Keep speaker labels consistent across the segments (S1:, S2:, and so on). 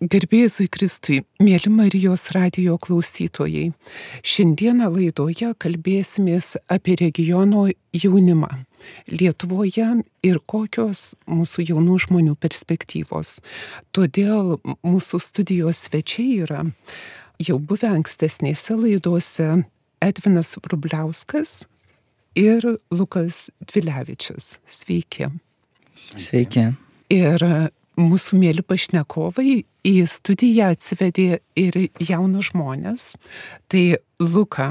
S1: Garbėzui Kristui, mėly Marijos radijo klausytojai, šiandieną laidoje kalbėsimės apie regiono jaunimą Lietuvoje ir kokios mūsų jaunų žmonių perspektyvos. Todėl mūsų studijos svečiai yra jau buvę ankstesnėse laidose Edvinas Vrubliauskas ir Lukas Dvilevičius. Sveiki.
S2: Sveiki.
S1: Ir mūsų mėly pašnekovai į studiją atsivedė ir jaunus žmonės. Tai Luką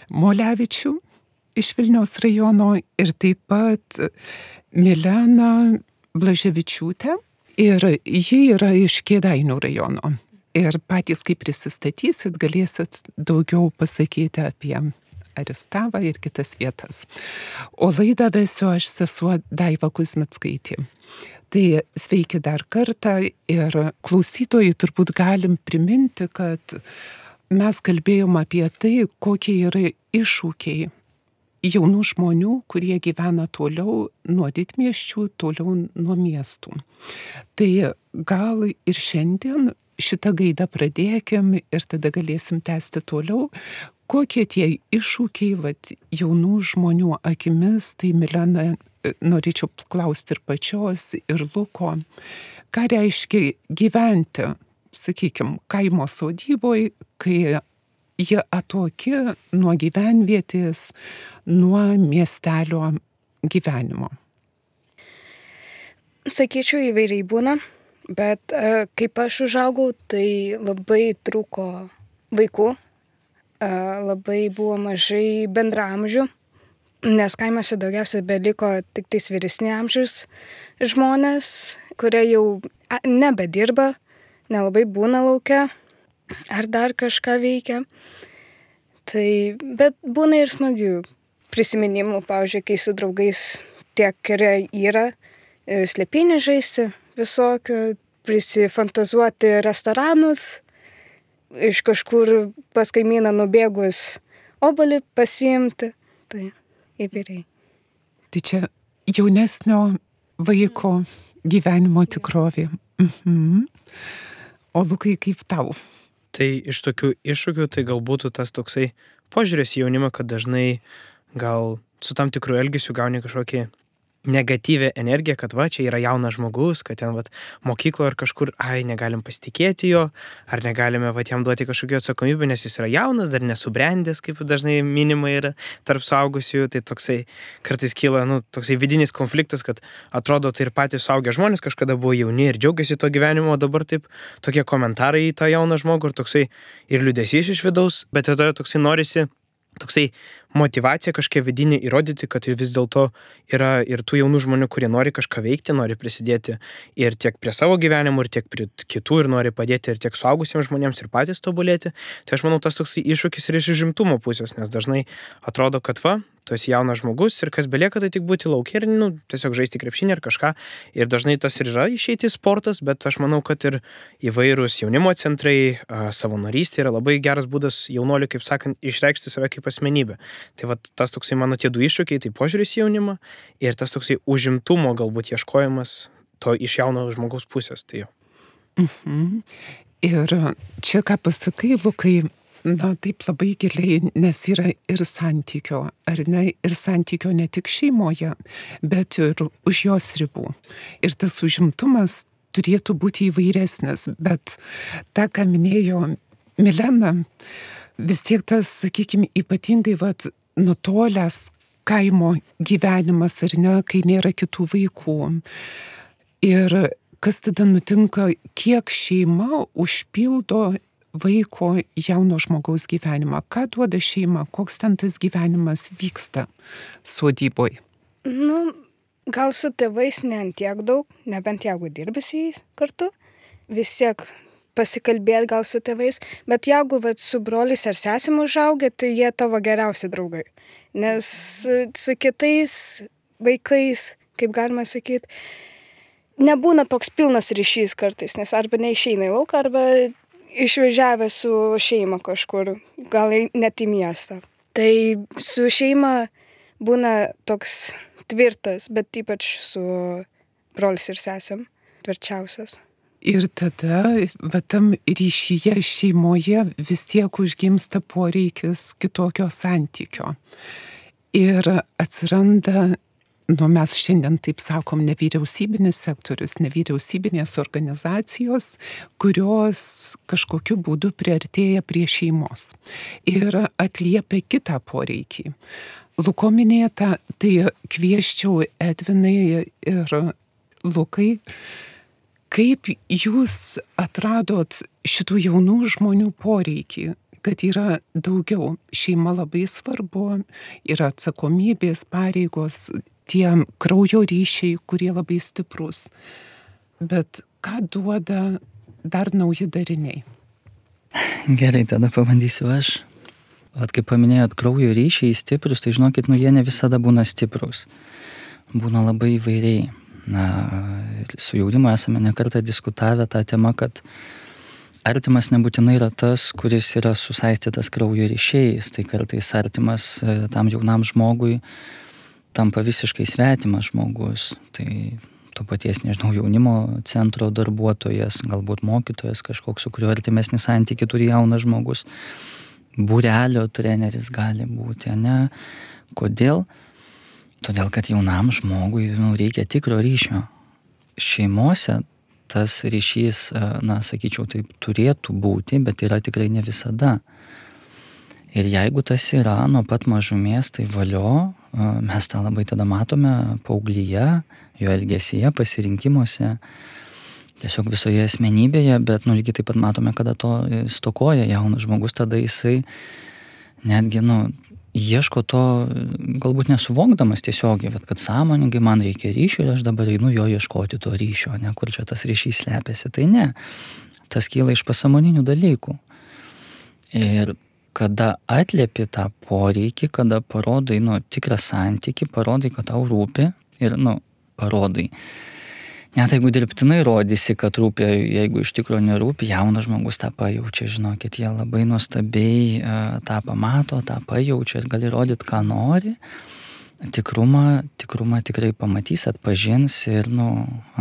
S1: Molevičių iš Vilniaus rajono ir taip pat Mileną Blaževičiūtę. Ir ji yra iš Kėdainių rajono. Ir patys, kai prisistatysit, galėsit daugiau pasakyti apie Aristavą ir kitas vietas. O laidą vesiu aš, sesuo Daiva Kuzmickaitė. Tai sveiki dar kartą ir klausytojai turbūt galim priminti, kad mes kalbėjom apie tai, kokie yra iššūkiai jaunų žmonių, kurie gyvena toliau nuo didmiesčių, toliau nuo miestų. Tai gal ir šiandien šitą gaidą pradėkim ir tada galėsim tęsti toliau. Kokie tie iššūkiai jaunų žmonių akimis, tai Milena, norėčiau klausti ir pačios, ir Luko, ką reiškia gyventi, sakykime, kaimo sodyboje, kai jie atoki nuo gyvenvietės, nuo miestelio gyvenimo?
S3: Sakyčiau, įvairiai būna, bet kaip aš užaugau, tai labai trūko vaikų, labai buvo mažai bendraamžių, nes kaimuose daugiausiai beliko tik tais vyresni amžiaus žmonės, kurie jau nebedirba, nelabai būna lauke ar dar kažką veikia. Tai, bet būna ir smagių prisiminimų, pavyzdžiui, kai su draugais tiek yra slėpynį žaisti visokių, prisifantazuoti restoranus, iš kažkur pas kaimyną nubėgus obuolį pasiimti. Tai įvairiai.
S1: Tai čia jaunesnio vaiko gyvenimo tikrovė. O Lukai, kaip tau?
S2: Tai iš tokių iššūkių tai galbūt tas toksai požiūris į jaunimą, kad dažnai gal su tam tikru elgesiu gauni kažkokį negatyvę energiją, kad čia yra jaunas žmogus, kad ten mokykloje ar kažkur, negalim pasitikėti jo, ar negalime jam duoti kažkokią atsakomybę, nes jis yra jaunas, dar nesubrendęs, kaip dažnai minima yra tarp suaugusiųjų, tai toksai kartais kyla, toksai vidinis konfliktas, kad atrodo, tai ir patys suaugę žmonės kažkada buvo jauni ir džiaugiasi to gyvenimo, o dabar taip tokie komentarai į tą jauną žmogų ir toksai ir liūdesys iš vidaus, bet tada toksai norisi toksai motyvacija kažkokia vidinė įrodyti, kad vis dėlto yra ir tų jaunų žmonių, kurie nori kažką veikti, nori prisidėti ir tiek prie savo gyvenimo, ir tiek prie kitų, ir nori padėti ir tiek suaugusiems žmonėms ir patys tobulėti. Tai aš manau, tas toksai iššūkis ir iš užimtumo pusės, nes dažnai atrodo, kad tu esi jaunas žmogus ir kas belieka, tai tik būti lauke ir tiesiog žaisti krepšinį ar kažką. Ir dažnai tas ir yra išeiti sportas, bet aš manau, kad ir įvairūs jaunimo centrai, savanorystė yra labai geras būdas jaunuoliui, kaip sakant, išreikšti save kaip asmenybę. Tai tas toksai mano tie du iššūkiai, tai požiūris į jaunimą ir tas toksai užimtumo galbūt ieškojimas to iš jauno žmogaus pusės. Tai jau.
S1: Ir čia ką pasakai, Lukai, taip labai giliai, nes yra ir santykio, ar ne, ir santykio ne tik šeimoje, bet ir už jos ribų. Ir tas užimtumas turėtų būti įvairesnis, bet tą, ką minėjo Milena, vis tiek tas, sakykime, ypatingai nutolęs kaimo gyvenimas, ar ne, kai nėra kitų vaikų. Ir kas tada nutinka, kiek šeima užpildo vaiko jauno žmogaus gyvenimą. Ką duoda šeima, koks ten tas gyvenimas vyksta sodyboje?
S3: Gal su tėvais ne ant tiek daug, nebent jeigu dirbi su jais kartu, vis tiek pasikalbėti gal su tėvais, bet jeigu su broliais ar sesim užaugę, tai jie tavo geriausi draugai. Nes su kitais vaikais, kaip galima sakyti, nebūna toks pilnas ryšys kartais, nes arba neišeina į lauką, arba išvažiavę su šeima kažkur, gal net į miestą. Tai su šeima būna toks tvirtas, bet ypač su brolis ir sesėm tvirčiausias.
S1: Ir tada, va tam ryšyje, šeimoje vis tiek užgimsta poreikis kitokio santykio. Ir atsiranda, mes šiandien taip sakom, nevyriausybinis sektorius, nevyriausybinės organizacijos, kurios kažkokiu būdu priartėja prie šeimos ir atliepia kitą poreikį. Luko minėta, tai kvieščiau Edvinai ir Lukai, kaip jūs atradot šitų jaunų žmonių poreikį, kad yra daugiau. Šeima labai svarbu, yra atsakomybės, pareigos, tie kraujo ryšiai, kurie labai stiprus. Bet ką duoda dar nauji dariniai?
S4: Gerai, tada pabandysiu aš. Kaip paminėjot, kraujo ryšiai stiprus, tai žinokit, jie ne visada būna stiprus. Būna labai įvairiai. Su jaunimu esame nekartą diskutavę tą temą, kad artimas nebūtinai yra tas, kuris yra susaistytas kraujo ryšiais, tai kartais artimas tam jaunam žmogui tampa visiškai svetimas žmogus. Tai to paties, jaunimo centro darbuotojas, galbūt mokytojas kažkoks, su kuriuo artimesnį santykį turi jaunas žmogus. Būrelio treneris gali būti, ne? Kodėl? Todėl, kad jaunam žmogui reikia tikro ryšio. Šeimose tas ryšys, sakyčiau, taip turėtų būti, bet yra tikrai ne visada. Ir jeigu tas yra nuo pat mažumės, tai valio, mes tą labai tada matome paauglyje, jo elgesyje, pasirinkimuose, tiesiog visoje asmenybėje, bet lygiai taip pat matome, kada to stokoja jaunas žmogus, tada jisai netgi, ieško to, galbūt nesuvokdamas tiesiogiai, bet kad sąmoningai man reikia ryšio ir aš dabar einu jo ieškoti to ryšio, ne, kur čia tas ryšys slepiasi. Tai ne, tas kyla iš pasąmoninių dalykų. Ir kada atliepi tą poreikį, kada parodai, tikrą santykį, parodai, kad tau rūpi ir, parodai. Net jeigu dirbtinai rodysi, kad rūpi, jeigu iš tikrųjų nerūpi, jaunas žmogus tą pajaučia, žinokit, jie labai nuostabiai tą pamato, tą pajaučia ir gali rodyti, ką nori. Tikrumą tikrai pamatys, atpažins ir,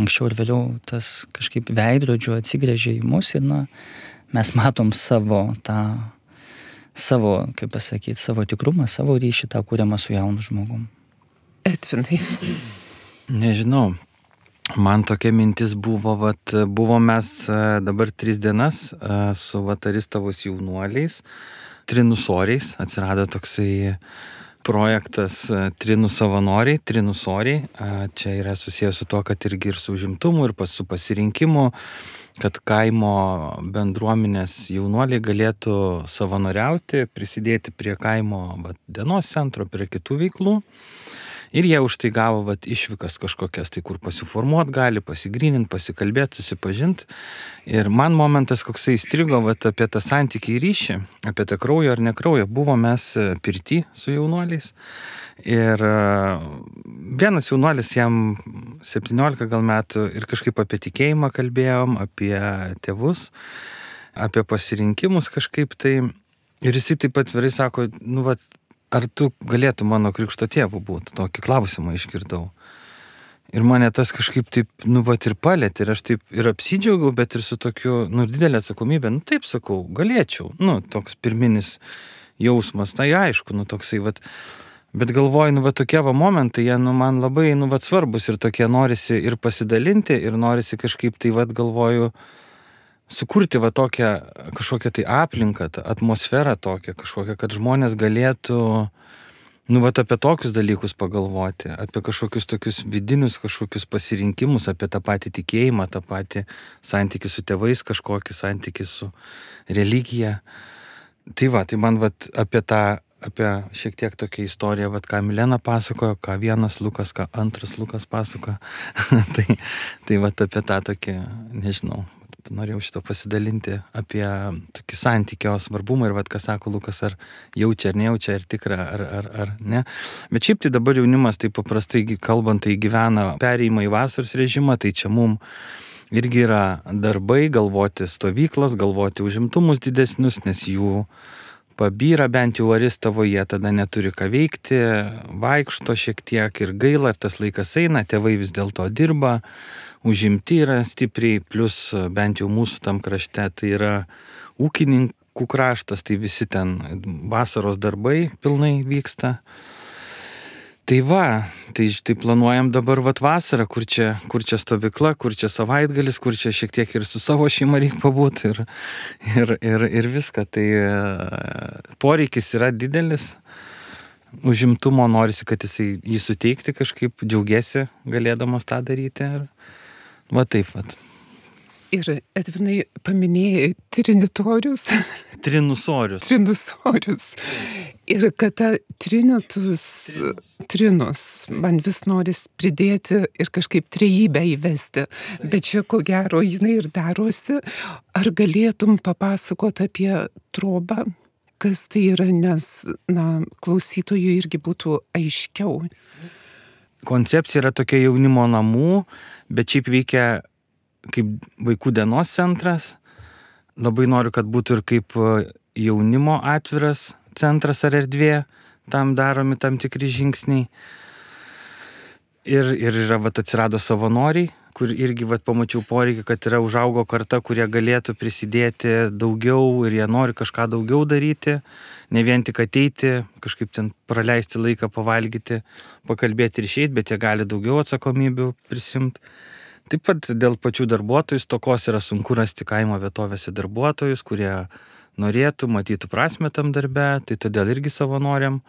S4: anksčiau ir vėliau tas kažkaip veidrodžiu atsigręžia į mus ir, mes matom savo kaip pasakyti, savo tikrumą, savo ryšį, tą kuriamą su jaunu žmogum.
S1: Edvinai.
S5: Nežinau. Man tokia mintis buvo, mes dabar 3 dienas su Aristavos jaunuoliais, trinusoriais, atsirado toksai projektas Trinų savanoriai, trinusoriai. Čia yra susijęs su tuo, kad irgi ir su užimtumu, ir su pasirinkimu, kad kaimo bendruomenės jaunuoliai galėtų savanoriauti, prisidėti prie kaimo dienos centro, prie kitų veiklų. Ir jie už tai gavo išvykas kažkokias, tai kur pasiformuot gali, pasigryninti, pasikalbėti, susipažinti. Ir man momentas koksai įstrigo apie tą santykį ir ryšį, apie tą kraujo ar nekraujo. Buvo mes pirty su jaunuoliais. Ir vienas jaunuolis, jam 17 gal metų, ir kažkaip apie tikėjimą kalbėjom, apie tėvus, apie pasirinkimus kažkaip tai. Ir jisai taip pat atvirai sako, ar tu galėtum mano krikšto tėvu būti? Tokį klausimą išgirdau. Ir mane tas kažkaip taip, ir palėtė. Ir aš taip ir apsidžiaugiau, bet ir su tokiu, didelė atsakomybė. Taip sakau, galėčiau. Toks pirminis jausmas, tai aišku, toksai, Bet galvoju, tokie momentai, jie, man labai, svarbus ir tokie norisi ir pasidalinti, ir norisi kažkaip tai, galvoju, sukurti tokią kažkokią tai aplinką, atmosferą tokią kažkokią, kad žmonės galėtų, apie tokius dalykus pagalvoti, apie kažkokius tokius vidinius kažkokius pasirinkimus, apie tą patį tikėjimą, tą patį santykį su tėvais, kažkokį santykį su religija. Tai man apie šiek tiek tokią istoriją, ką Milena pasakojo, ką vienas Lukas, ką antras Lukas pasakojo. tai apie tą tokį, nežinau, norėjau šito pasidalinti apie tokį santykio svarbumą ir ką sako Lukas, ar jaučia, ar nejaučia, ar tikra, ar ne. Bet šiaip tai dabar jaunimas, tai paprastai kalbant, tai gyvena perėjimą į vasaros režimą, tai čia mum irgi yra darbai, galvoti stovyklas, galvoti užimtumus didesnius, nes jų pabyra bent jau Aristavo, jie tada neturi ką veikti, vaikšto šiek tiek ir gaila, tas laikas eina, tėvai vis dėlto dirba, užimti yra stipriai, plus bent jau mūsų tam krašte tai yra ūkininkų kraštas, tai visi ten vasaros darbai pilnai vyksta. Tai va, tai planuojam dabar vasarą, kur čia stovykla, kur čia savaitgalis, kur čia šiek tiek ir su savo šeima reikia pabūti ir viską. Tai poreikis yra didelis, užimtumo norisi, kad jį suteikti kažkaip, džiaugiasi galėdamas tą daryti. Va taip.
S1: Ir Edvinai paminėjai trinitorius. Trinusorius. Ir kad ta trinus, man vis noris pridėti ir kažkaip trejybę įvesti. Bet čia ko gero jinai ir darosi. Ar galėtum papasakoti apie trobą? Kas tai yra, nes klausytojui irgi būtų aiškiau.
S5: Koncepcija yra tokia jaunimo namų, bet šiaip veikia kaip vaikų dienos centras. Labai noriu, kad būtų ir kaip jaunimo atviras centras ar erdvė, tam daromi tam tikri žingsniai. Ir yra, atsirado savanoriai, kur irgi pamačiau poreikį, kad yra užaugo karta, kurie galėtų prisidėti daugiau ir jie nori kažką daugiau daryti, ne vien tik ateiti, kažkaip ten praleisti laiką, pavalgyti, pakalbėti ir išeiti, bet jie gali daugiau atsakomybių prisimti. Taip pat dėl pačių darbuotojų stokos yra sunku rasti kaimo vietovėse darbuotojus, kurie norėtų, matytų prasmę tam darbe, tai todėl irgi savanoriam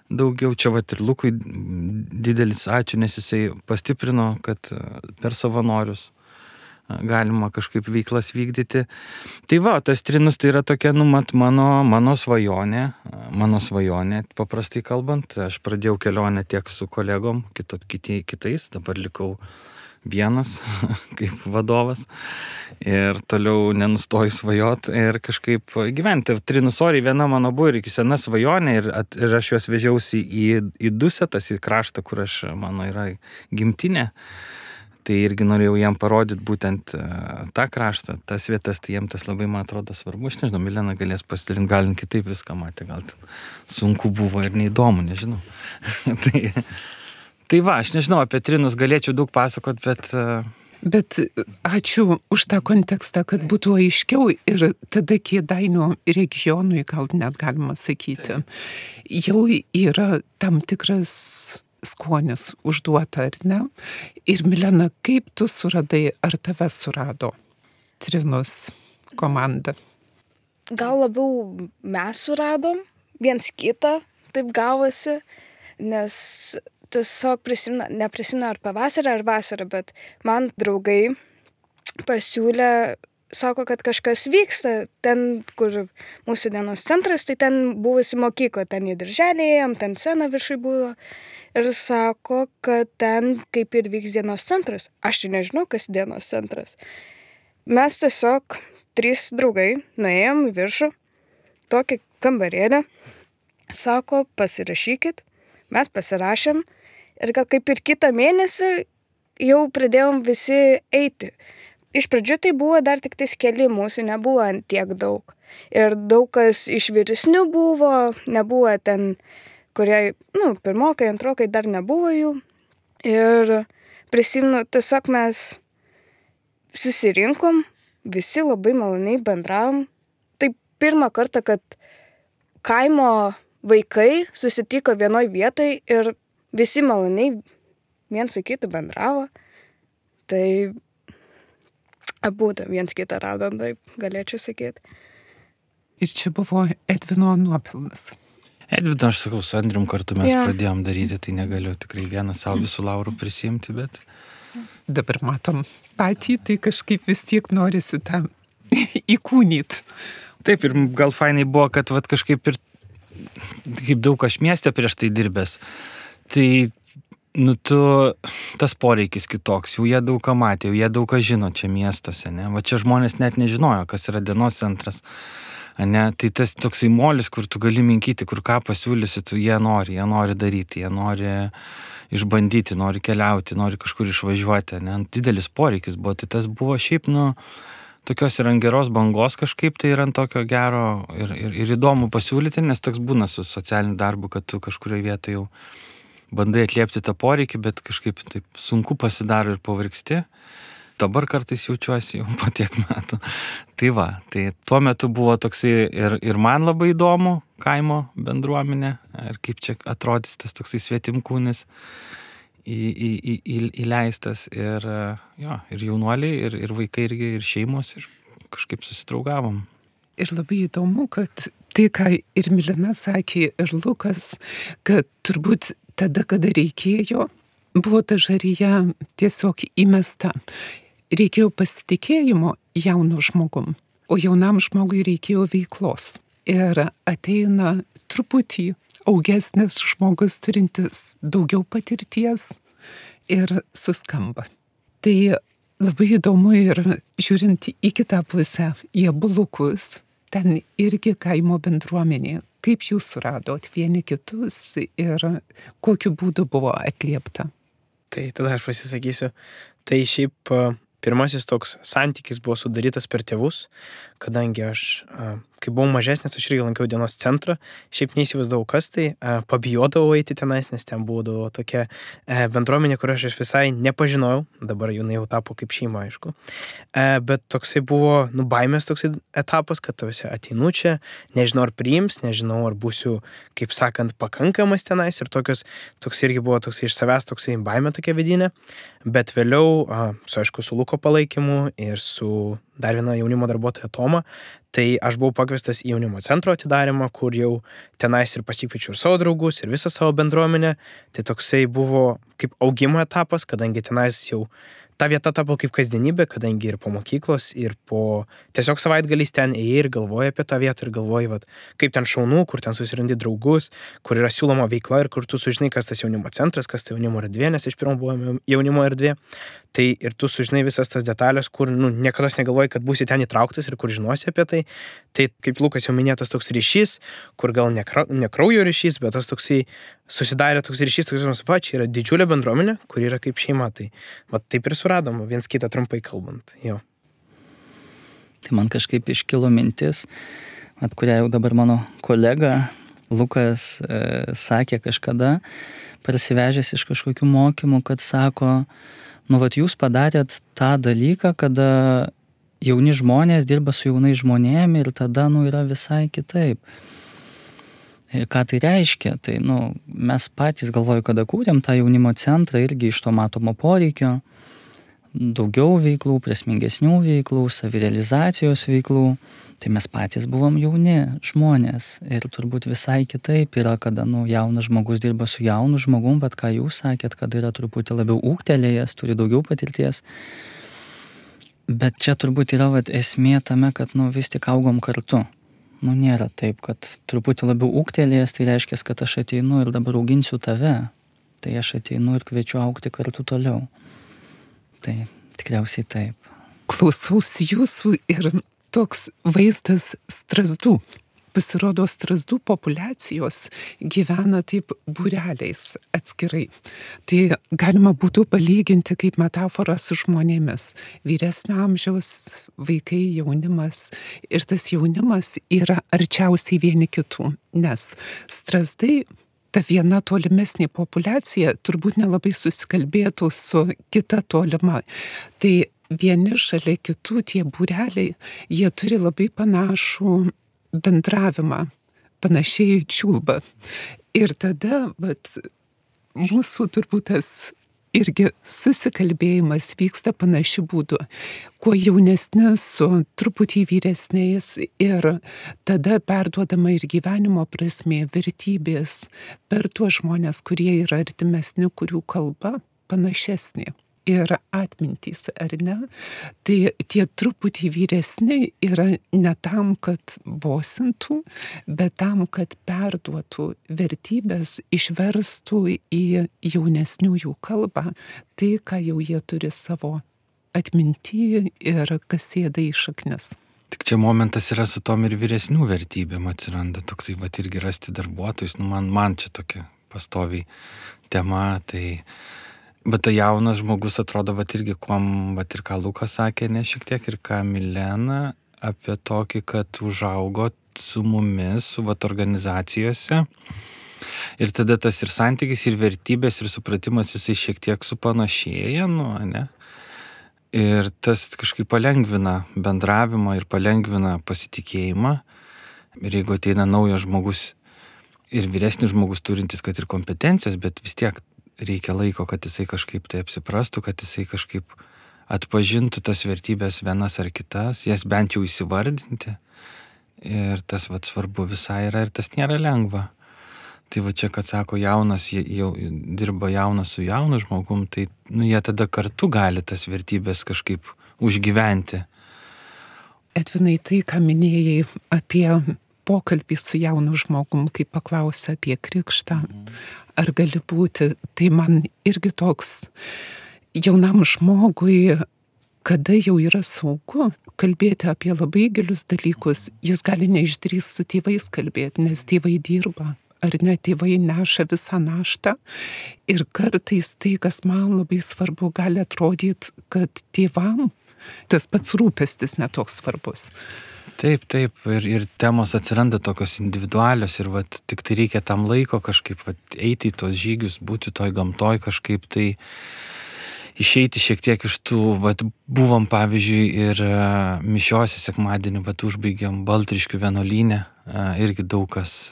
S5: daugiau. Čia ir Lukui didelis ačiū, nes jisai pastiprino, kad per savanorius galima kažkaip veiklas vykdyti. Tai tas trinus tai yra tokia, mano svajonė, paprastai kalbant. Aš pradėjau kelionę tiek su kolegom, kitais, dabar likau vienas kaip vadovas ir toliau nenustoju svajot ir kažkaip gyventi. Trinusoriai viena mano buvo ir iki sena svajonė ir aš juos vežiausi į Dusetas, į kraštą, kur mano yra gimtinė. Tai irgi norėjau jam parodyti būtent tą kraštą, tas vietas, tai jiem tas labai, man atrodo, svarbu. Aš nežinau, Milena galės pasidalinti, gal kitaip viską matė, gal sunku buvo ir neįdomu, nežinau. Tai aš nežinau, apie trinus galėčiau daug pasakot,
S1: Bet ačiū už tą kontekstą, kad būtų aiškiau ir tada Kėdainių regionui, gal net galima sakyti, jau yra tam tikras skonis užduota, ar ne? Ir Milena, kaip tu suradai, ar tave surado Trinus komanda?
S3: Gal labiau mes suradom viens kitą, taip gavosi, nes tiesiog neprisimenu ar pavasarį ar vasarą, bet man draugai pasiūlė, sako, kad kažkas vyksta ten, kur mūsų dienos centras, tai ten buvusi mokykla, ten į darželį ėjom, ten scena viršui buvo ir sako, kad ten kaip ir vyks dienos centras. Aš tai nežinau, kas dienos centras. Mes tiesiog 3 draugai nuėjom į viršų, tokį kambarėlį, sako, pasirašykit, mes pasirašėm. Ir gal kaip ir kitą mėnesį jau pradėjom visi eiti. Iš pradžių tai buvo dar tik tais keli, mūsų nebuvo tiek daug. Ir daug kas iš vyresnių buvo, nebuvo ten, kurie, pirmokai, antrokai dar nebuvo jų. Ir prisimenu, tiesiog mes susirinkom, visi labai maloniai bendravom. Tai pirmą kartą, kad kaimo vaikai susitiko vienoj vietoj ir visi maloniai viens su kitu bendravo. Tai abudu viens kitą radom, taip galėčiau sakyti.
S1: Ir čia buvo Edvino nuopelnas.
S5: Edvino, aš sakau, su Andrium kartu mes pradėjom daryti, tai negaliu tikrai vieną savo visų laurų prisimti, bet...
S1: Dabar matom patį, tai kažkaip vis tiek norisi tą įkūnyti.
S5: Taip, ir gal fainai buvo, kad kažkaip ir kaip daug aš mieste prieš tai dirbęs. Tai, tas poreikis kitoks, jau jie daug ką matė, jau jie daug ką žino čia miestuose, ne? Va čia žmonės net nežinojo, kas yra dienos centras, ne? Tai tas toksai molis, kur tu gali minkyti, kur ką pasiūlysi, jie nori daryti, jie nori išbandyti, nori keliauti, nori kažkur išvažiuoti, ne? Didelis poreikis buvo, tai tas buvo šiaip, tokios ir ant geros bangos kažkaip, tai ir ant tokio gero ir įdomu pasiūlyti, nes toks būna su socialiniu darbu, kad tu kažkurioje vietoje jau bandai atliepti tą poreikį, bet kažkaip taip sunku pasidaro ir pavargsti. Dabar kartais jaučiuosi jau po tiek metų. Tai va, tai tuo metu buvo toksai ir man labai įdomu kaimo bendruomenė, ir kaip čia atrodys tas toksai svetimkūnis įleistas, ir jaunuoliai, ir vaikai, ir šeimos, ir kažkaip susidraugavom.
S1: Ir labai įdomu, kad tai, ką ir Milena sakė, ir Lukas, kad turbūt tada, kada reikėjo, buvo ta žarija tiesiog įmesta. Reikėjo pasitikėjimo jaunu žmogum, o jaunam žmogui reikėjo veiklos. Ir ateina truputį augesnis žmogus, turintis daugiau patirties, ir suskamba. Tai labai įdomu, ir žiūrint į kitą pusę, į Abulukus, ten irgi kaimo bendruomenė. Kaip jūs suradot vieni kitus ir kokiu būdu buvo atliepta?
S2: Tai tada aš pasisakysiu. Tai šiaip pirmasis toks santykis buvo sudarytas per tėvus, kadangi aš, kai buvau mažesnis, aš irgi lankiau dienos centrą, šiaip neįsivaizdavau, kas tai, pabijodavau eiti tenais, nes ten būdavo tokia bendruomenė, kur aš visai nepažinojau, dabar jinai jau tapo kaip šeima, aišku, bet toksai buvo, baimės toksai etapas, kad tu visi ateinu čia, nežinau ar priims, nežinau ar būsiu, kaip sakant, pakankamas tenais, ir toks irgi buvo toksai iš savęs toksai baimė tokia vidinė, bet vėliau, aišku, su Luko palaikymu ir su dar viena jaunimo darbuotoja Toma, tai aš buvau pakviestas į jaunimo centro atidarimą, kur jau tenais ir pasikviečiau ir savo draugus, ir visą savo bendruomenę. Tai toksai buvo kaip augimo etapas, kadangi tenais jau ta vieta tapo kaip kasdienybė, kadangi ir po mokyklos, ir po tiesiog savaitgaliais ten ėjai ir galvoji apie tą vietą, ir galvoji, kaip ten šaunu, kur ten susirandi draugus, kur yra siūloma veikla, ir kur tu sužinai, kas tas jaunimo centras, kas tai jaunimo erdvė, nes iš pirmo buvo jaunimo erdvė. Tai ir tu sužinai visas tas detalės, kur niekada negalvoji, kad būsi ten įtrauktas ir kur žinosi apie tai. Tai kaip Lukas jau minėtas toks ryšys, kur gal ne kraujo ryšys, bet tas toksai susidarė toks ryšys, toks, čia yra didžiulė bendruomenė, kur yra kaip šeima. Tai taip ir suradom, viens kitą trumpai kalbant. Jo.
S4: Tai man kažkaip iškilo mintis, kurią jau dabar mano kolega Lukas sakė kažkada, parsivežęs iš kažkokių mokymų, kad sako, jūs padarėt tą dalyką, kada jauni žmonės dirba su jaunai žmonėm, ir tada, yra visai kitaip. Ir ką tai reiškia? Tai, mes patys galvoju, kada kūrėm tą jaunimo centrą, irgi iš to matomo poreikio, daugiau veiklų, prasmingesnių veiklų, savirealizacijos veiklų. Tai mes patys buvom jauni žmonės, ir turbūt visai kitaip yra, kada jaunas žmogus dirba su jaunu žmogum, bet ką jūs sakėt, kad yra truputį labiau ūgtelėjęs, turi daugiau patirties. Bet čia turbūt yra esmė tame, kad vis tik augom kartu. Nėra taip, kad truputį labiau ūgtelėjęs, tai reiškia, kad aš ateinu ir dabar auginsiu tave. Tai aš ateinu ir kviečiu augti kartu toliau. Tai tikriausiai taip.
S1: Klausausi jūsų ir toks vaizdas strazdų. Pasirodo, strazdų populiacijos gyvena taip būreliais atskirai. Tai galima būtų palyginti kaip metaforą su žmonėmis. Vyresnio amžiaus vaikai, jaunimas. Ir tas jaunimas yra arčiausiai vieni kitų, nes strazdai, ta viena tolimesnė populiacija, turbūt nelabai susikalbėtų su kita tolima. Tai vieni šalia kitų tie būreliai, jie turi labai panašų bendravimą, panašiai čiulba. Ir tada, mūsų turbūt tas irgi susikalbėjimas vyksta panašiu būdu. Kuo jaunesni su truputį vyresniais, ir tada perduodama ir gyvenimo prasmė, vertybės per tuos žmonės, kurie yra artimesni, kurių kalba panašesnė. Ir atmintys, ar ne? Tai tie truputį vyresni yra ne tam, kad bosintų, bet tam, kad perduotų vertybės, išverstų į jaunesniųjų kalbą. Tai, ką jau jie turi savo atminty ir kas sėda į šaknis.
S5: Tik čia momentas yra su tom ir vyresnių vertybėm atsiranda toksai, irgi rasti darbuotojus. Man čia tokia pastoviai tema, tai Bet tai jaunas žmogus atrodo, vat irgi, kuom, vat ir ką Lukas sakė, ne šiek tiek, ir ką Milena, apie tokį, kad užaugo su mumis, su vat organizacijose. Ir tada tas ir santykis, ir vertybės, ir supratimas, jisai šiek tiek supanašėja, ne? Ir tas kažkaip palengvina bendravimą ir palengvina pasitikėjimą. Ir jeigu ateina naujas žmogus ir vyresnis žmogus turintis, kad ir kompetencijos, bet vis tiek reikia laiko, kad jisai kažkaip tai apsiprastų, kad jisai kažkaip atpažintų tas vertybės vienas ar kitas, jas bent jau įsivardinti. Ir tas vat svarbu visai yra ir tas nėra lengva. Tai va čia, kad sako jaunas, jau dirba jaunas su jaunu žmogum, tai jie tada kartu gali tas vertybės kažkaip užgyventi.
S1: Edvinai, tai, ką minėjai apie pokalbį su jaunu žmogum, kai paklausė apie krikštą, ar gali būti, tai man irgi toks jaunam žmogui, kada jau yra saugu kalbėti apie labai gilius dalykus, jis gali neišdrįsti su tėvais kalbėti, nes tėvai dirba, ar ne, tėvai neša visą naštą. Ir kartais tai, kas man labai svarbu, gali atrodyti, kad tėvam tas pats rūpestis netoks svarbus.
S5: Taip, ir temos atsiranda tokios individualios ir vat, tik tai reikia tam laiko kažkaip vat, eiti į tos žygius, būti toj gamtoj kažkaip tai išeiti šiek tiek iš tų, vat, buvom pavyzdžiui ir mišiose sekmadienį, vat, užbaigėm Baltriškių vienuolyne, irgi daug kas,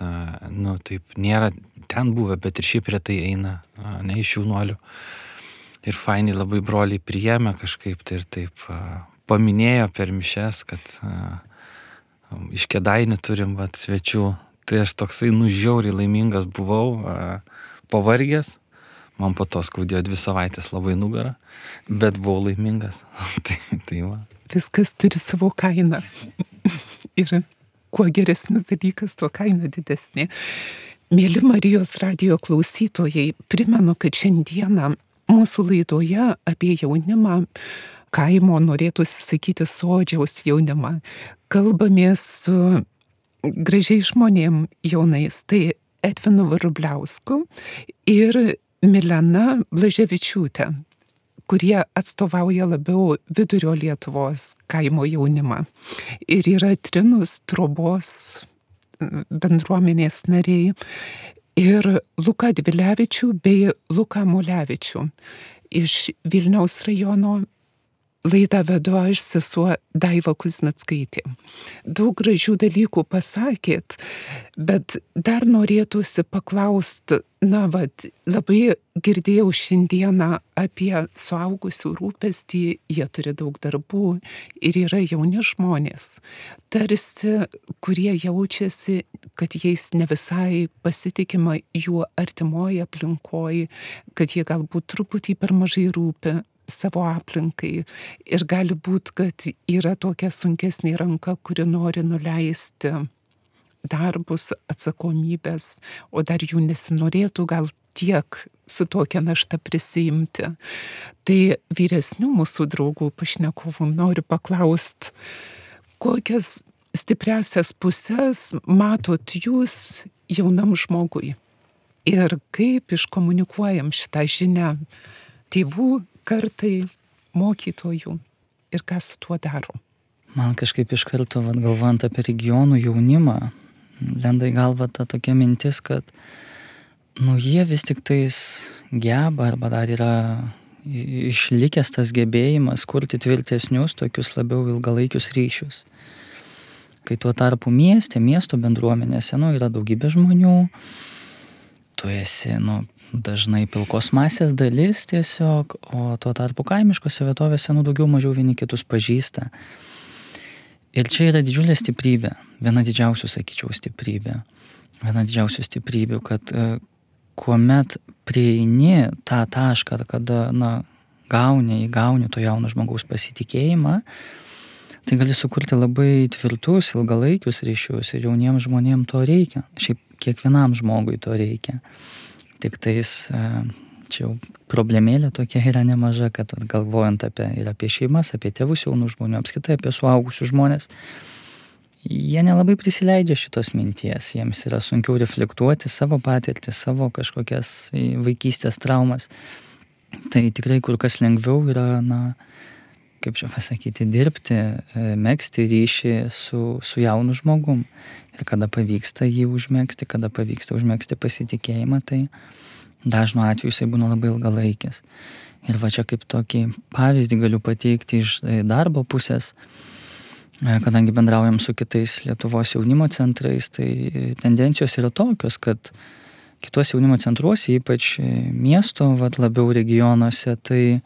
S5: taip nėra ten buvę, bet ir šiaip retai eina, ne iš jaunuolių. Ir fainiai labai broliai priėmė kažkaip tai ir taip paminėjo per mišes, kad iš Kėdainių turim svečių. Tai aš toksai žiauriai laimingas buvau, pavargęs. Man po to skaudėjo 2 savaitės labai nugarą, bet buvau laimingas. tai va.
S1: Viskas turi savo kainą. Ir kuo geresnis dalykas, tuo kaina didesnė. Mėly Marijos radijo klausytojai, primenu, kad šiandieną mūsų laidoje apie jaunimą, kaimo, norėtųsi sakyti sodžiaus jaunimą, kalbamės su gražiai žmonėm jaunais, tai Edvinu Vrubliausku ir Milena Blaževičiūtė, kurie atstovauja labiau vidurio Lietuvos kaimo jaunimą. Ir yra Trinus Trobos bendruomenės nariai ir Luką Dvilevičių bei Luką Mulevičių iš Vilniaus rajono. Laidą vedu aš, sesuo Daiva Kuzmickaitė. Daug gražių dalykų pasakėt, bet dar norėtųsi paklausti, labai girdėjau šiandieną apie suaugusių rūpestį, jie turi daug darbų ir yra jauni žmonės, tarsi, kurie jaučiasi, kad jais ne visai pasitikima jų artimoje aplinkoje, kad jie galbūt truputį per mažai rūpi savo aplinkai ir gali būti, kad yra tokia sunkesnė ranka, kuri nori nuleisti darbus, atsakomybės, o dar jų nesinorėtų gal tiek su tokia našta prisiimti. Tai vyresnių mūsų draugų pašnekovų noriu paklausti, kokias stipriasias pusės matot jūs jaunam žmogui ir kaip iškomunikuojam šitą žinią tėvų kartai, mokytojų ir kas su tuo daro.
S4: Man kažkaip iš karto, galvojant apie regionų jaunimą, lenda į galvą ta tokia mintis, kad jie vis tik tais geba arba dar yra išlikęs tas gebėjimas kurti tvirtesnius, tokius labiau ilgalaikius ryšius. Kai tuo tarpu miesto bendruomenėse yra daugybė žmonių, tu esi dažnai pilkos masės dalis tiesiog, o tuo tarpu kaimiškose vietovėse daugiau mažiau vieni kitus pažįsta. Ir čia yra didžiulė stiprybė, viena didžiausių, sakyčiau, stiprybių, kad kuomet prieini tą tašką, kada gauni to jauno žmogaus pasitikėjimą, tai gali sukurti labai tvirtus, ilgalaikius ryšius ir jauniems žmonėms to reikia. Šiaip kiekvienam žmogui to reikia. Tik tais čia jau problemėlė tokia yra nemaža, kad galvojant apie šeimas, apie tėvus jaunų žmonių, apskritai apie suaugusius žmonės, jie nelabai prisileidžia šitos minties, jiems yra sunkiau reflektuoti savo patirtį, savo kažkokias vaikystės traumas. Tai tikrai kur kas lengviau yra, kaip čia pasakyti, dirbti, megzti ryšį su jaunu žmogum. Ir kada pavyksta jį užmegzti, kada pavyksta užmegzti pasitikėjimą, tai dažnu atveju jisai būna labai ilgalaikis. Ir va čia kaip tokį pavyzdį galiu pateikti iš darbo pusės, kadangi bendraujam su kitais Lietuvos jaunimo centrais, tai tendencijos yra tokios, kad kitos jaunimo centruose, ypač miesto, labiau regionuose, tai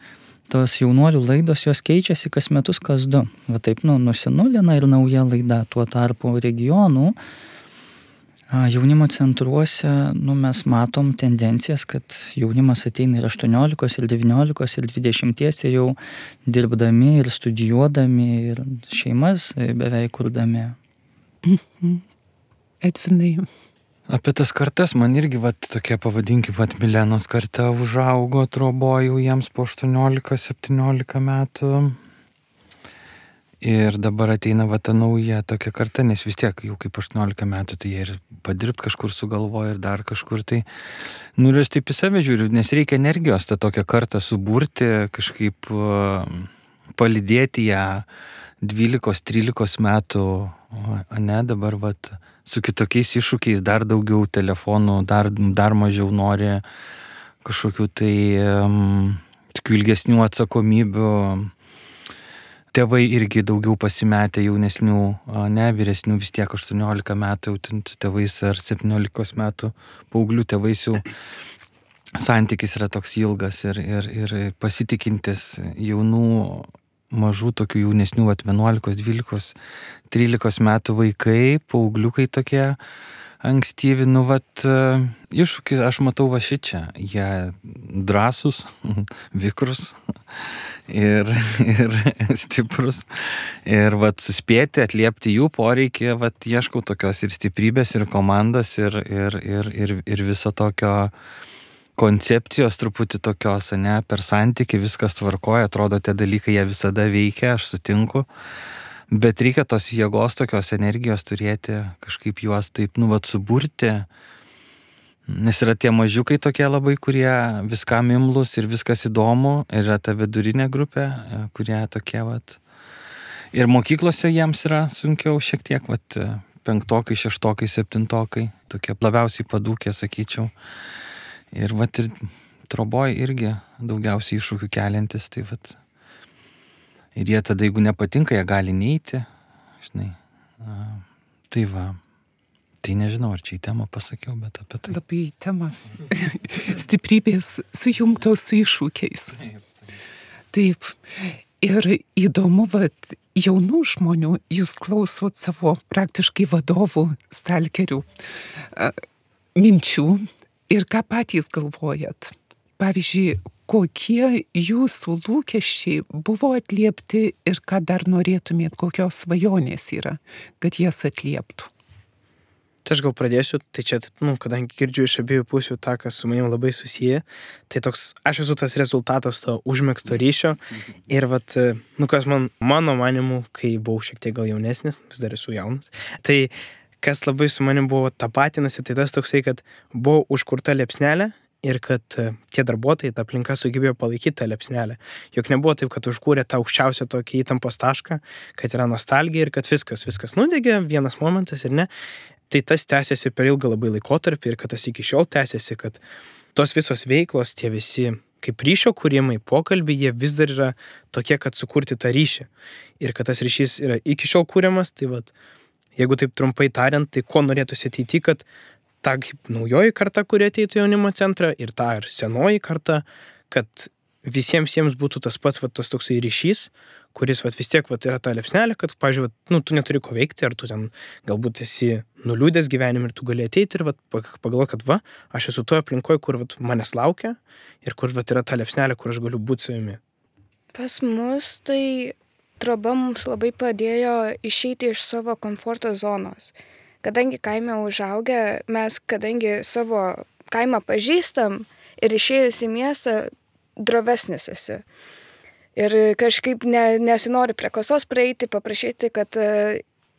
S4: tos jaunuolių laidos jos keičiasi kas metus, kas du. Va taip, nusinulina ir nauja laida. Tuo tarpu regionų jaunimo centruose, mes matom tendencijas, kad jaunimas ateina ir 18, ir 19, ir 20, ir jau dirbdami, ir studijuodami, ir šeimas beveik kurdami.
S1: Edvinai.
S5: Apie tas kartas man irgi, tokie pavadinkim, Milenos karta užaugo, trobojau jiems po 18-17 metų. Ir dabar ateina ta nauja tokia karta, nes vis tiek jau kaip 18 metų, tai jie ir padirbt kažkur sugalvoja ir dar kažkur tai. Ir aš taip į save žiūriu, nes reikia energijos tą tokią kartą suburti, kažkaip palydėti ją 12-13 metų, ne, dabar su kitokiais iššūkiais, dar daugiau telefonų, dar mažiau nori kažkokių tai tokių ilgesnių atsakomybių. Tėvai irgi daugiau pasimetę jaunesnių, ne, vyresnių vis tiek 18 metų jau tėvais ar 17 metų paauglių tėvais jau santykis yra toks ilgas ir pasitikintis jaunų, mažų tokių jaunesnių, 11, 12, 13 metų vaikai, paaugliukai tokie ankstyvi, iššūkis aš matau šičia, jie drąsūs, vikrus ir stiprus ir suspėti, atliepti jų poreikį, ieškau tokios ir stiprybės, ir komandos, ir viso tokio koncepcijos truputį tokios, ne, per santykį viskas tvarkoja, atrodo, tie dalykai jie visada veikia, aš sutinku, bet reikia tos jėgos, tokios energijos turėti, kažkaip juos taip, suburti, nes yra tie mažiukai tokie labai, kurie viskam imlus ir viskas įdomu, ir yra ta vidurinė grupė, kurie tokie, ir mokyklose jiems yra sunkiau šiek tiek, 5, 6, 7, tokie labiausiai padūkė, sakyčiau. Ir ir troboj irgi daugiausiai iššūkių keliantis, tai ir jie tada, jeigu nepatinka, jie gali neiti, žinai, tai nežinau, ar čia į temą pasakiau, bet apie tai.
S1: Labai į temą. Stiprybės sujungtos su iššūkiais. Taip. Ir įdomu, jaunų žmonių, jūs klausot savo praktiškai vadovų, stalkerių minčių. Ir ką patys galvojat? Pavyzdžiui, kokie jūsų lūkesčiai buvo atliepti ir ką dar norėtumėt, kokios svajonės yra, kad jas atlieptų?
S2: Tai aš gal pradėsiu, tai čia, kadangi girdžiu iš abiejų pusių tą, kas su manim labai susiję, tai toks, aš esu tas rezultatas to užmegzto ryšio ir kas mano manimu, kai buvau šiek tiek gal jaunesnis, vis dar esu jaunas, tai kas labai su manim buvo tapatinasi, tai tas toksai, kad buvo užkurta liepsnelė ir kad tie darbuotojai, ta aplinka sugebėjo palaikyti tą liepsnelę. Juk nebuvo taip, kad užkūrė tą aukščiausią tokį įtampos tašką, kad yra nostalgija ir kad viskas nudegė, vienas momentas ir ne. Tai tas tęsiasi per ilgą labai laikotarpį ir kad tas iki šiol tęsiasi, kad tos visos veiklos, tie visi kaip ryšio kūrimai, pokalbiai, jie vis dar yra tokie, kad sukurti tą ryšį. Ir kad tas ryšys yra iki šiol kūriamas, tai jeigu taip trumpai tariant, tai ko norėtųsi ateityje, kad ta naujoji karta, kuri ateitų jaunimo centrą, ir ta ir senoji karta, kad visiems jiems būtų tas pats tas toksai ryšys, kuris vis tiek yra ta liepsnelė, kad, pavyzdžiui, tu neturi ko veikti, ar tu ten galbūt esi nuliūdęs gyvenime ir tu gali ateiti ir pagalvoti, kad aš esu toje aplinkoje, kur manęs laukia ir kur yra ta liepsnelė, kur aš galiu būti savimi.
S3: Pas mus tai troba mums labai padėjo išeiti iš savo komforto zonos. Kadangi kaime užaugę, mes kadangi savo kaimą pažįstam ir išėjus į miestą drovesnis esi. Ir kažkaip nesinori prie kasos praeiti, paprašyti, kad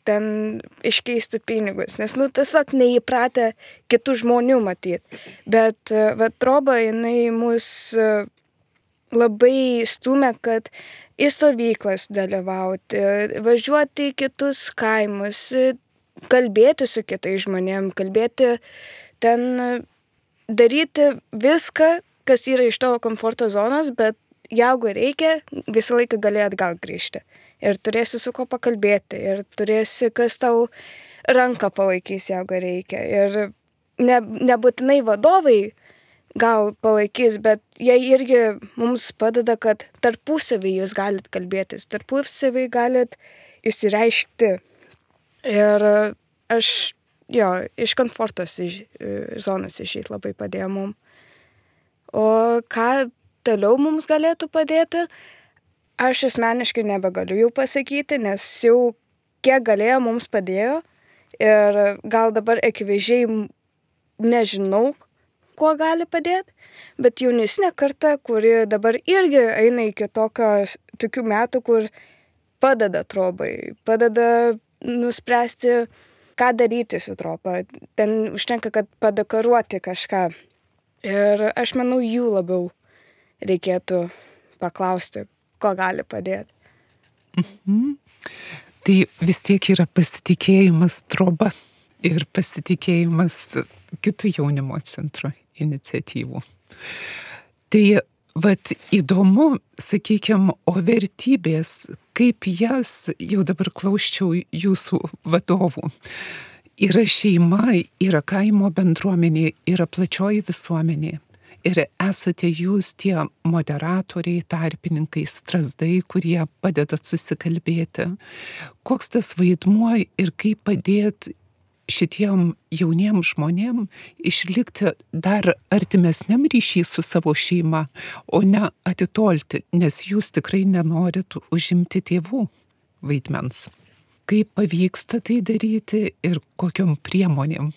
S3: ten iškeistų pinigus, nes tiesiog neįpratę kitų žmonių matyti. Bet troba, jinai mus labai stumia, kad į stovyklas dalyvauti, važiuoti į kitus kaimus, kalbėti su kitais žmonėm, kalbėti ten, daryti viską, kas yra iš tavo komforto zonos, bet jeigu reikia, visą laiką gali atgal grįžti. Ir turėsi su ko pakalbėti, ir turėsi, kas tau ranką palaikys, jeigu reikia. Ir nebūtinai vadovai gal palaikys, bet jie irgi mums padeda, kad tarpusavį jūs galit kalbėtis, tarpusavį galit įsireiškti. Ir aš, iš komfortos zonos išeit labai padėjo mums. O ką toliau mums galėtų padėti, aš asmeniškai nebegaliu jau pasakyti, nes jau kiek galėjo mums padėjo ir gal dabar akivaizdžiai nežinau, kuo gali padėti, bet jaunesnė karta, kuri dabar irgi eina iki tokių metų, kur padeda trobai, padeda nuspręsti, ką daryti su troba. Ten užtenka, kad padekoruoti kažką. Ir aš manau, jų labiau reikėtų paklausti, ko gali padėti.
S1: Tai vis tiek yra pasitikėjimas troba ir pasitikėjimas kitų jaunimo centro iniciatyvų. Tai įdomu, sakykime, o vertybės, kaip jas, jau dabar klausčiau jūsų vadovų, yra šeima, yra kaimo bendruomenė, yra plačioji visuomenė. Ir esate jūs tie moderatoriai, tarpininkai, strazdai, kurie padedat susikalbėti. Koks tas vaidmuo ir kaip padėti šitiem jauniem žmonėm išlikti dar artimesniam ryšį su savo šeima, o ne atitolti, nes jūs tikrai nenorit užimti tėvų vaidmens. Kaip pavyksta tai daryti ir kokiom priemonėm?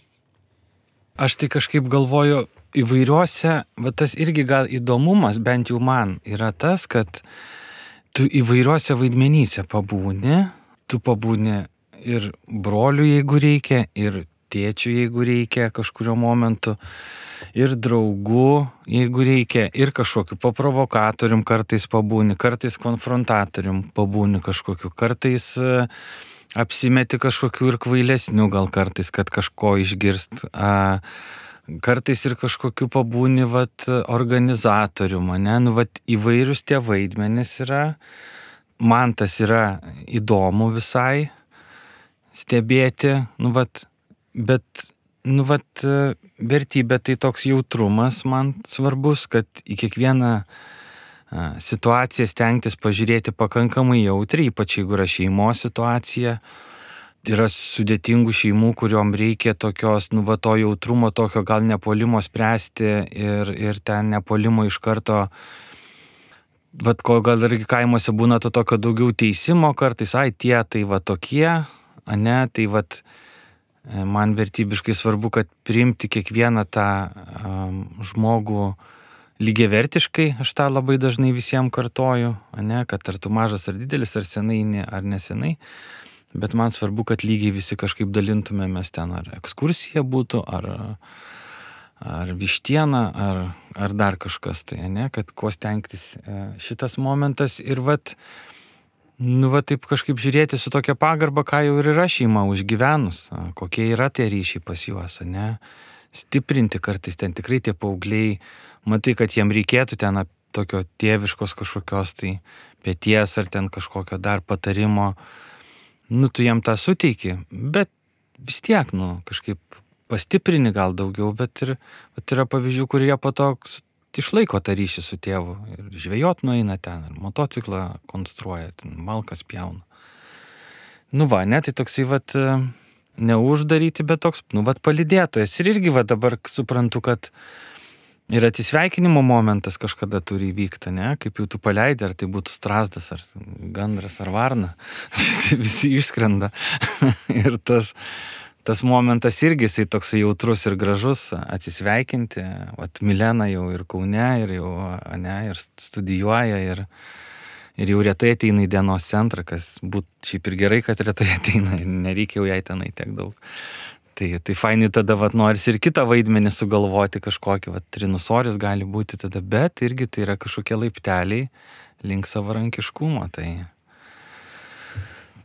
S5: Aš tai kažkaip galvoju, įvairiuose, bet tas irgi gal įdomumas, bent jau man, yra tas, kad tu įvairiuose vaidmenyse pabūni, tu pabūni ir broliu, jeigu reikia, ir tėčiu, jeigu reikia kažkurio momentu, ir draugu, jeigu reikia, ir kažkokiu paprovokatorium kartais pabūni, kartais konfrontatorium pabūni kažkokiu, kartais apsimeti kažkokiu ir kvailesniu gal kartais, kad kažko išgirst, kartais ir kažkokiu pabūni organizatorium, ne, įvairius tie vaidmenys yra, man tas yra įdomu visai stebėti, bet vertybė tai toks jautrumas man svarbus, kad į kiekvieną situaciją stengtis pažiūrėti pakankamai jautriai, ypač jeigu yra šeimos situacija. Yra sudėtingų šeimų, kuriuom reikia tokios, to jautrumo, tokio gal nepuolimo spręsti ir ten nepuolimo iš karto, ko gal irgi kaimuose būna to tokio daugiau teisimo kartais, tie tai tokie, ne, tai man vertybiškai svarbu, kad priimti kiekvieną tą žmogų lygiavertiškai, aš tą labai dažnai visiems kartoju, ne, kad ar tu mažas ar didelis, ar senai ar nesenai, bet man svarbu, kad lygiai visi kažkaip dalintumėmės ten, ar ekskursija būtų, ar vištiena, ar dar kažkas tai, ne, kad kuo stengtis šitas momentas ir taip kažkaip žiūrėti su tokia pagarba, ką jau ir yra šeima užgyvenus, kokie yra tie ryšiai pas juos, ne, stiprinti kartais ten tikrai tie paaugliai, matai, kad jiem reikėtų ten tokio tėviškos kažkokios tai pėties ar ten kažkokio dar patarimo, tu jiem tą suteiki, bet vis tiek, kažkaip pastiprini gal daugiau, bet yra pavyzdžių, kurie po to išlaiko tą ryšį su tėvu ir žvejot nueina ten, ir motociklą konstruoja, ten malkas pjauna. Ne, tai toksai neuždaryti, bet toks, palydėtojas. Ir irgi dabar suprantu, kad ir atsisveikinimo momentas kažkada turi įvykti, ne, kaip jau tu paleidi, ar tai būtų strazdas, ar gandras, ar varna, visi išskrenda. Ir tas momentas irgi jisai toksai jautrus ir gražus, atsisveikinti. Milena jau ir Kaune, ir jau, ne, ir studijuoja, ir jau retai ateina į dienos centrą, kas būtų šiaip ir gerai, kad retai ateina, nereikia jau jai tenai tiek daug. Tai fainai tada norisi ir kitą vaidmenį sugalvoti kažkokį, trinusoris gali būti tada, bet irgi tai yra kažkokie laipteliai link savarankiškumo. Tai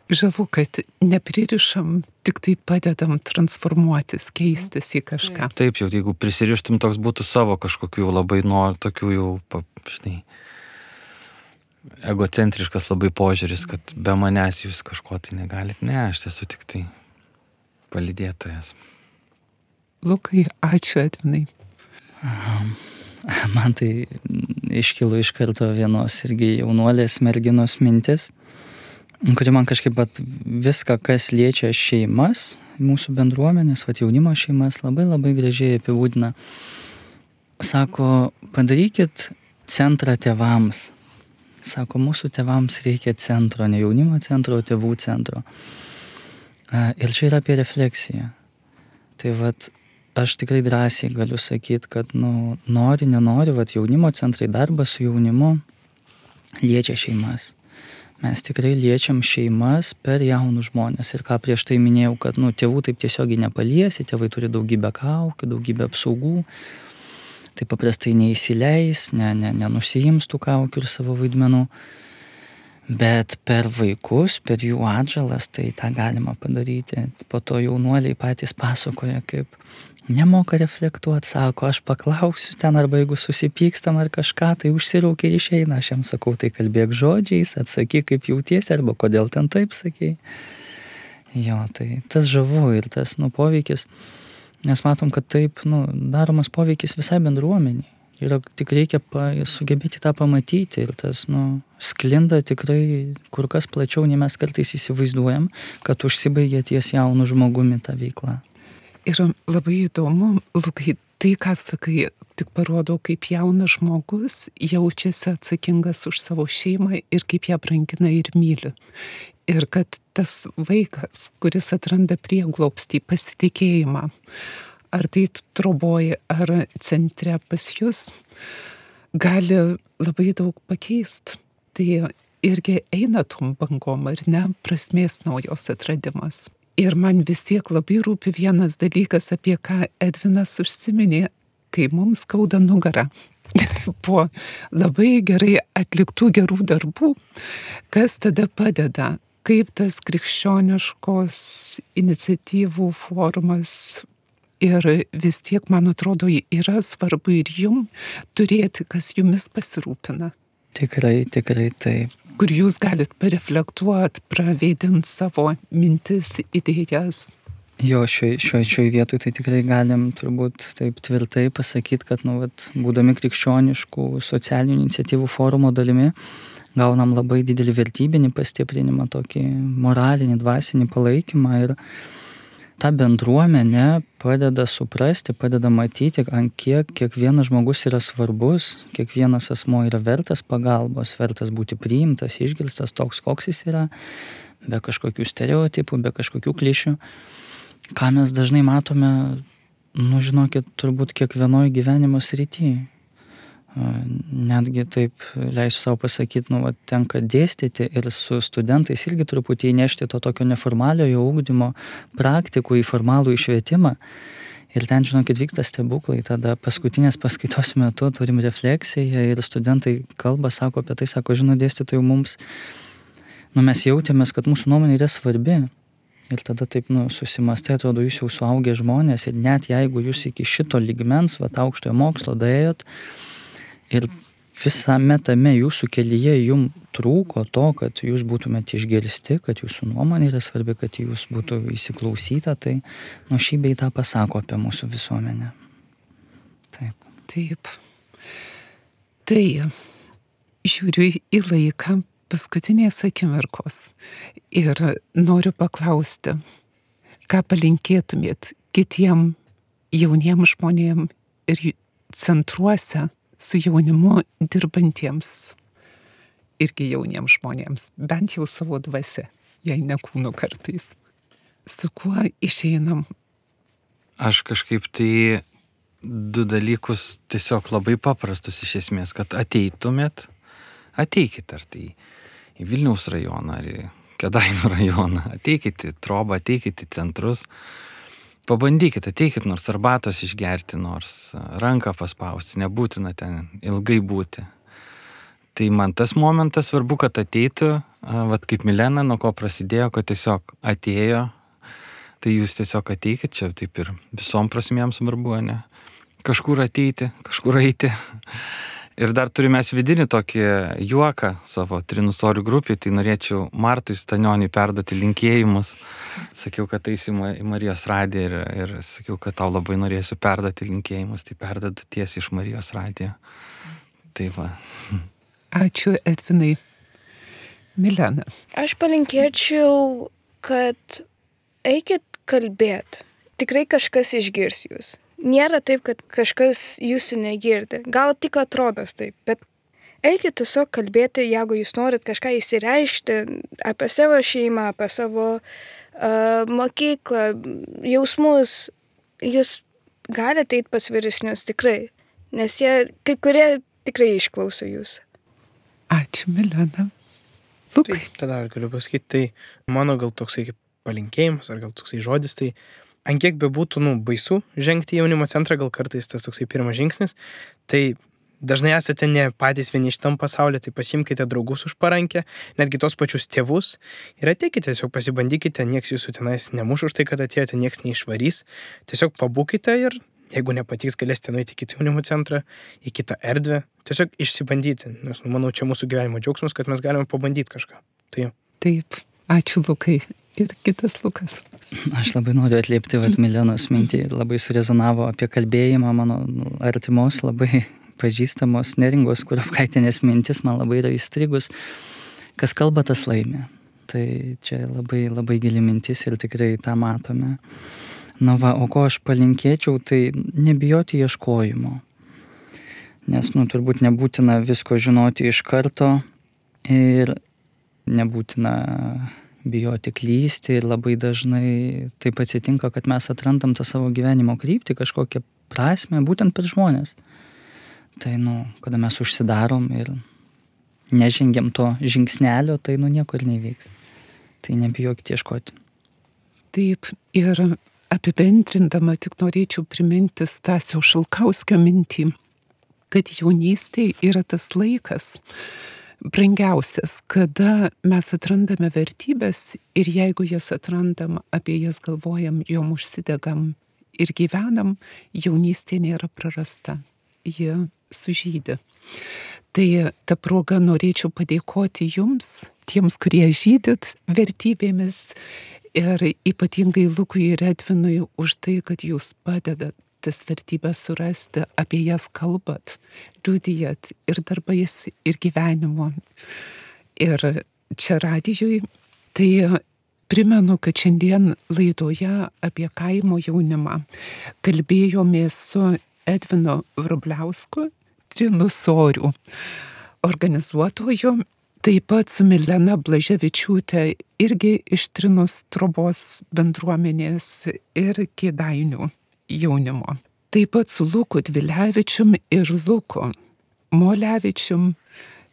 S1: žavu, kad nepririšam, tik tai padedam transformuotis, keistis į kažką.
S5: Taip, jau jeigu prisirištum, toks būtų savo kažkokių labai tokių jau, žinai, egocentriškas labai požiūris, kad be manęs jūs kažko tai negalit. Ne, aš esu tik tai palydėtojas.
S1: Lukai, ačiū Edvinai.
S4: Man tai iškilo iš karto vienos irgi jaunuolės merginos mintis, kuri man kažkaip viską, kas liečia šeimas, mūsų bendruomenės, jaunimo šeimas, labai labai gražiai apibūdina. Sako, padarykit centrą tėvams. Sako, mūsų tėvams reikia centro, ne jaunimo centro, o tėvų centro. Ir čia yra apie refleksiją. Tai aš tikrai drąsiai galiu sakyti, kad nori, nenori, jaunimo centrai, darbas su jaunimu liečia šeimas. Mes tikrai liečiam šeimas per jaunus žmonės. Ir ką prieš tai minėjau, kad tėvų taip tiesiogiai nepaliesi, tėvai turi daugybę kaukių, daugybę apsaugų. Tai paprastai neįsileis, nenusijims tų kaukių ir savo vaidmenų. Bet per vaikus, per jų atžalas, tai tą galima padaryti. Po to jaunuoliai patys pasakoja, kaip nemoka reflektuoti, sako, aš paklausiu ten, arba jeigu susipykstam ar kažką, tai užsiraukia ir išeina. Aš jam sakau, tai kalbėk žodžiais, atsakyk, kaip jautiesi, arba kodėl ten taip sakei. Jo, tai tas žavu ir tas poveikis, nes matom, kad taip daromas poveikis visai bendruomeniai. Ir tik reikia sugebėti tą pamatyti ir tas sklinda tikrai kur kas plačiau, nei mes kartais įsivaizduojam, kad užsibaigia ties jaunu žmogumi ta veikla.
S1: Ir labai įdomu, Lukai, tai, ką sakai, tik parodo, kaip jaunas žmogus jaučiasi atsakingas už savo šeimą ir kaip ją brangina ir myli. Ir kad tas vaikas, kuris atranda prieglobstį, pasitikėjimą, ar tai troboji, ar centre pas jūs, gali labai daug pakeisti. Tai irgi eina tom bangom, ar ne, prasmės naujos atradimas. Ir man vis tiek labai rūpi vienas dalykas, apie ką Edvinas užsiminė, kai mums skauda nugarą. Po labai gerai atliktų gerų darbų, kas tada padeda, kaip tas krikščioniškos iniciatyvų forumas. Ir vis tiek, man atrodo, yra svarbu ir jum turėti, kas jumis pasirūpina.
S4: Tikrai taip.
S1: Kur jūs galit pareflektuoti, praveidinti savo mintis, idėjas.
S4: Jo, šioj vietoj tai tikrai galim turbūt taip tvirtai pasakyti, kad būdami krikščioniškų socialinių iniciatyvų forumo dalimi, gaunam labai didelį vertybinį pastiprinimą, tokį moralinį, dvasinį palaikymą ir ta bendruomenė padeda suprasti, padeda matyti, ant kiek kiekvienas žmogus yra svarbus, kiekvienas asmuo yra vertas pagalbos, vertas būti priimtas, išgirstas toks, koks jis yra, be kažkokių stereotipų, be kažkokių klišių. Ką mes dažnai matome, žinokit, turbūt kiekvienoj gyvenimo srityje. Netgi taip leisiu savo pasakyti, tenka dėstyti ir su studentais irgi truputį įnešti to tokio neformaliojo ugdymo praktikų į formalų švietimą. Ir ten, žinokit, vyksta stebuklai. Tada paskutinės paskaitos metu turim refleksiją ir studentai kalba, sako apie tai, sako, dėstytojų mums, mes jautėmės, kad mūsų nuomonė yra svarbi. Ir tada taip, susimastai, atrodo, jūs jau suaugę žmonės ir net jeigu jūs iki šito lygmens, aukštojo mokslo daėjot, ir visame tame jūsų kelyje jums trūko to, kad jūs būtumėte išgirsti, kad jūsų nuomonė yra svarbi, kad jūs būtų įsiklausyta, tai šį bei tą pasako apie mūsų visuomenę.
S1: Taip. Tai žiūriu į laiką paskutinės akimirkos ir noriu paklausti, ką palinkėtumėt kitiem jauniem žmonėm ir centruose su jaunimu dirbantiems irgi jauniems žmonėms, bent jau savo dvasia, jei ne kūnu kartais. Su kuo išeinam?
S5: Aš kažkaip tai 2 dalykus tiesiog labai paprastus iš esmės, kad ateikit, ar tai į Vilniaus rajoną, ar į Kėdainių rajoną, ateikit į Trobą, ateikit į centrus pabandykit, ateikit nors arbatos išgerti, nors ranką paspausti, nebūtina ten ilgai būti. Tai man tas momentas svarbu, kad ateitų, vat kaip Milena, nuo ko prasidėjo, kad tiesiog atėjo, tai jūs tiesiog ateikit, čia taip ir visom prasmėm svarbu, ne? Kažkur ateiti, kažkur eiti. Ir dar turime vidinį tokį juoką savo trinusorių grupį, tai norėčiau Martui Stanioniui perduoti linkėjimus. Sakiau, kad eisi į Marijos radiją ir sakiau, kad tau labai norėsiu perduoti linkėjimus, tai perduodu tiesiai iš Marijos radijo. Tai va.
S1: Ačiū, Edvinai. Milena.
S3: Aš palinkėčiau, kad eikit kalbėt. Tikrai kažkas išgirs jūs. Nėra taip, kad kažkas jūsų negirdi. Gal tik atrodo taip, bet eikit tiesiog kalbėti, jeigu jūs norit kažką įsireikšti apie savo šeimą, apie savo mokyklą, jausmus. Jūs galite eiti pas vyresnius tikrai, nes jie, kai kurie tikrai išklauso jūs.
S1: Ačiū, Milena. Lukai.
S2: Tai tada galiu pasakyti, tai mano gal toksai kaip palinkėjimas, ar gal toksai žodis, tai ant kiek bebūtų, baisu žengti į jaunimo centrą, gal kartais tas toksai pirmas žingsnis, tai dažnai esate ne patys vieni šitam pasaulyje, tai pasimkite draugus už parankę, netgi tos pačius tėvus ir ateikite, tiesiog pasibandykite, nieks jūsų tenais nemuš už tai, kad atėjote, nieks neišvarys, tiesiog pabūkite ir jeigu nepatiks, galėsite nueiti į kitą jaunimo centrą, į kitą erdvę, tiesiog išsibandyti, nes manau, čia mūsų gyvenimo džiaugsmas, kad mes galime pabandyti kažką. Tai jau.
S1: Taip, ačiū Lukai. Ir kitas Lukas.
S4: Aš labai noriu atliepti Milenos mintį, labai surezonavo apie kalbėjimą mano artimos, labai pažįstamos Neringos Kurapkaitienės mintis, man labai yra įstrigus, kas kalba, tas laimi. Tai čia labai, labai gili mintis ir tikrai tą matome. Na va, o ko aš palinkėčiau, tai nebijoti ieškojimo. Nes, turbūt nebūtina visko žinoti iš karto ir nebūtina bijoti klysti ir labai dažnai taip atsitinka, kad mes atrandam tą savo gyvenimo kryptį, kažkokią prasmę, būtent per žmonės. Tai, kada mes užsidarom ir nežengiam to žingsnelio, tai, nieko ir nevyks. Tai nebijokite ieškoti.
S1: Taip, ir apibendrindama tik norėčiau priminti Stasio Šalkauskio mintį, kad jaunystė yra tas laikas, brangiausias, kada mes atrandame vertybės ir jeigu jas atrandam, apie jas galvojam, jom užsidegam ir gyvenam, jaunystė nėra prarasta, jie sužydi. Tai ta proga norėčiau padėkoti jums, tiems, kurie žydit vertybėmis ir ypatingai Lukui ir Edvinui už tai, kad jūs padedat tas vertybės surasti, apie jas kalbat, liudijat ir darbais, ir gyvenimu. Ir čia radijui, tai primenu, kad šiandien laidoje apie kaimo jaunimą kalbėjomės su Edvinu Vrubliausku, Trinusorių organizuotoju, taip pat su Milena Blaževičiūtė, irgi iš Trinus trobos bendruomenės ir Kėdainių jaunimo. Taip pat su Luku Dvilevičium ir Luku Molevičium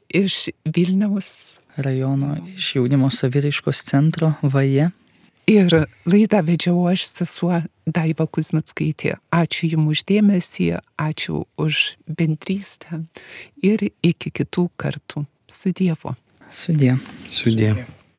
S1: iš Vilniaus
S4: rajono, iš jaunimo saviraiškos centro VAJE.
S1: Ir laidą vedžiau aš, sesuo Daiva Kuzmickaitė. Ačiū jums už dėmesį, ačiū už bendrystę ir iki kitų kartų. Su Dievu.
S4: Sudie.
S5: Sudie.